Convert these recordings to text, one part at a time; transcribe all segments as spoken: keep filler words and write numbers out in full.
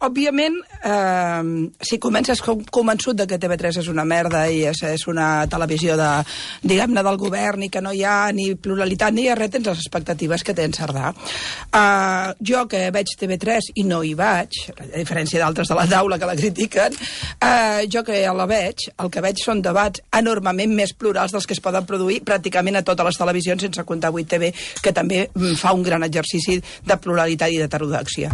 òbviament, eh, si comences convençut de que T V tres és una merda i és, és una televisió de, diguem-ne, del govern i que no hi ha ni pluralitat ni res, tens les expectatives que té en Cerdà. Eh, jo que veig T V tres i no hi vaig, a diferència d'altres de la taula que la critiquen, eh, jo que ja la veig, el que veig són debats enormement més plurals dels que es poden produir pràcticament a totes les televisions, sense comptar vuit T V, que també fa un gran exercici de pluralitat i d'heterodoxia.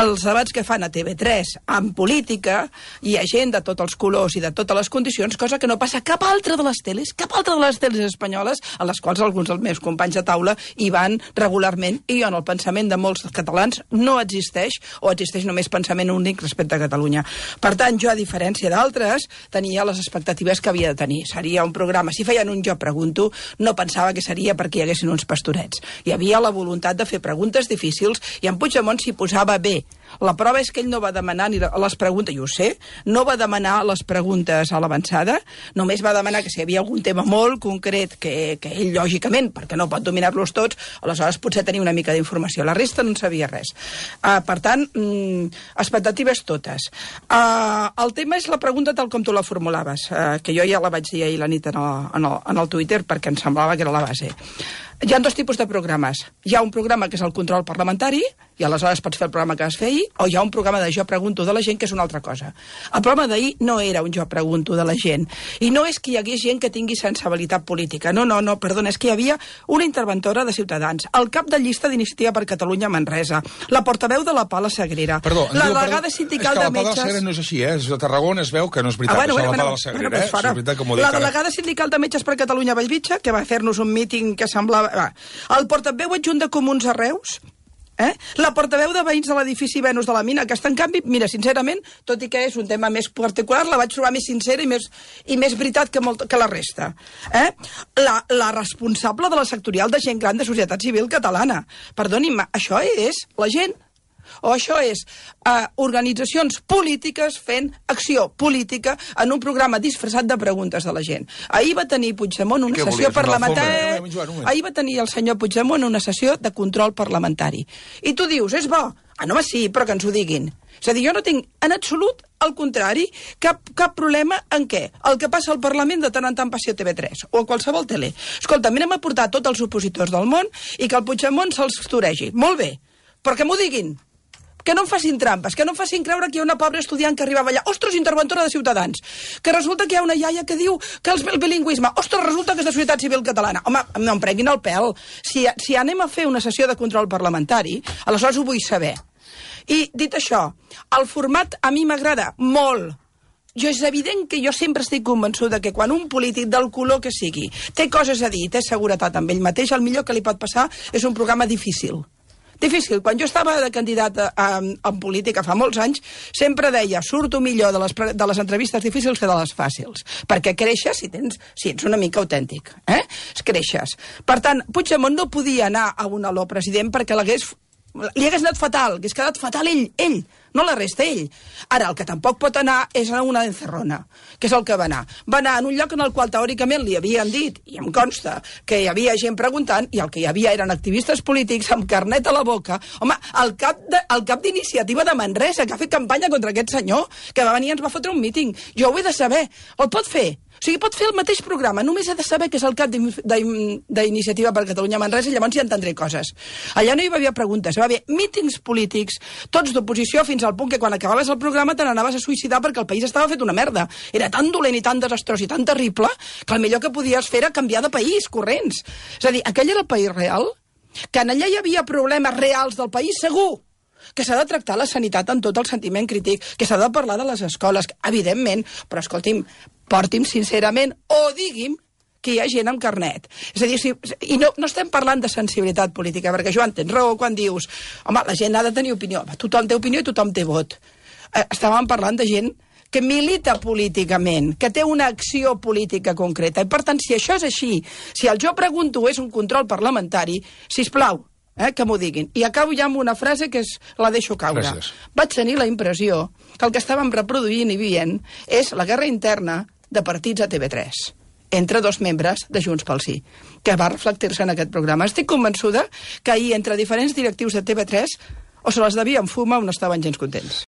Els debats que fan a T V tres en política hi ha gent de tots els colors i de totes les condicions, cosa que no passa cap altra de les teles, cap altra de les teles espanyoles, a les quals alguns dels meus companys de taula hi van regularment, i en el pensament de molts catalans no existeix, o existeix només pensament únic respecte a Catalunya. Per tant, jo, a diferència d'altres, tenia les expectatives que havia de tenir. Seria un programa, si feien un Jo Pregunto, no pensava que seria perquè hi haguessin uns pastorets. Hi havia la voluntat de fer preguntes difícils i en Puigdemont s'hi posava bé. La prova és que ell no va demanar ni les preguntes, i ho sé, no va demanar les preguntes a l'avançada, només va demanar que si hi havia algun tema molt concret que, que ell, lògicament, perquè no pot dominar-los tots, aleshores potser tenia una mica d'informació. La resta no en sabia res. Uh, per tant, mm, expectatives totes. Uh, el tema és la pregunta tal com tu la formulaves, uh, que jo ja la vaig dir ahir la nit en el, en el, en el Twitter perquè em semblava que era la base. Hi ha dos tipus de programes. Hi ha un programa que és el control parlamentari, i aleshores pots fer el programa que vas fer ahir, o hi ha un programa de Jo Pregunto de la gent, que és una altra cosa. El programa d'ahir no era un Jo Pregunto de la gent. I no és que hi hagués gent que tingui sensibilitat política. No, no, no, perdona, és que hi havia una interventora de Ciutadans, el cap de llista d'Iniciativa per Catalunya a Manresa, la portaveu de la Pala Sagrera, perdó, la diu, delegada perdó, sindical de metges... És que la de Pala metges... Sagrera no és així, eh? És de Tarragona, es veu que no és veritat, ah, bueno, això bueno, de la Pala bueno, Sagrera, bueno, eh? pues És veritat que m'ho dic la ara. delegada sindical de Metges per Catalunya a Bellvitge, que va fer-nos un míting que semblava... Va. El portaveu adjunt de Comuns a Reus, eh? La portaveu de veïns de l'edifici Venus de la Mina, aquesta, en canvi, mira, sincerament, tot i que és un tema més particular, la vaig trobar més sincera i més, i més veritat que, molt, que la resta. Eh? La, la responsable de la sectorial de gent gran de Societat Civil Catalana. Perdoni'm, això és la gent. O això és uh, organitzacions polítiques fent acció política en un programa disfressat de preguntes de la gent. Ahir va tenir Puigdemont una sessió parlamentària... Ahir va tenir el senyor Puigdemont una sessió de control parlamentari. I tu dius, és bo? Ah, no, sí, però que ens ho diguin. És a dir, jo no tinc en absolut, al contrari, cap, cap problema en què el que passa al Parlament de tant en tant passi a T V tres o a qualsevol tele. Escolta, anem a portar tots els opositors del món i que el Puigdemont se'ls toregi. Molt bé, però que m'ho diguin. Que no em facin trampes, que no em facin creure que hi ha una pobra estudiant que arribava allà. Ostres, interventora de Ciutadans. Que resulta que hi ha una iaia que diu que el bilingüisme... Ostres, resulta que és de Societat Civil Catalana. Home, no em prenguin el pèl. Si, si anem a fer una sessió de control parlamentari, aleshores ho vull saber. I, dit això, el format a mi m'agrada molt. Jo és evident que jo sempre estic convençuda que quan un polític del color que sigui té coses a dir, té seguretat amb ell mateix, el millor que li pot passar és un programa difícil. Difícil. Quan jo estava de candidata a, a, en política fa molts anys, sempre deia, surto millor de les, de les entrevistes difícils que de les fàcils. Perquè creixes si, tens, si ets una mica autèntic. Eh? Creixes. Per tant, Puigdemont no podia anar a un aló president perquè l'hagués... li hagués anat fatal, hagués quedat fatal ell, ell, no la resta, ell. Ara, el que tampoc pot anar és a una encerrona, que és el que va anar. Va anar en un lloc en el qual teòricament li havien dit, i em consta, que hi havia gent preguntant, i el que hi havia eren activistes polítics amb carnet a la boca. Home, el cap de, el cap d'iniciativa de Manresa, que ha fet campanya contra aquest senyor, que va venir i ens va fotre un míting. Jo ho he de saber. El pot fer? O sigui, pot fer el mateix programa, només ha de saber que és el cap d'Iniciativa per Catalunya Manresa i llavors ja entendré coses. Allà no hi va haver preguntes, hi va haver mítings polítics, tots d'oposició, fins al punt que quan acabaves el programa te n'anaves a suïcidar perquè el país estava fet una merda. Era tan dolent i tan desastrós i tan terrible que el millor que podies fer era canviar de país, corrents. És a dir, aquell era el país real? Que en allà hi havia problemes reals del país, segur. Que s'ha de tractar la sanitat amb tot el sentiment crític, que s'ha de parlar de les escoles, evidentment, però escolti'm, porti'm sincerament o digui'm que hi ha gent amb carnet. És a dir, si, i no, no estem parlant de sensibilitat política, perquè jo tens raó quan dius, home, la gent ha de tenir opinió, tothom té opinió i tothom té vot. Eh, estàvem parlant de gent que milita políticament, que té una acció política concreta, i per tant, si això és així, si el Jo Pregunto és un control parlamentari, sisplau, Eh, que m'ho diguin. I acabo ja amb una frase que és, la deixo caure. Gràcies. Vaig tenir la impressió que el que estàvem reproduint i veient és la guerra interna de partits a T V tres entre dos membres de Junts pel Sí, que va reflectir-se en aquest programa. Estic convençuda que ahir entre diferents directius de T V tres o se les devien fumar o no estaven gens contents.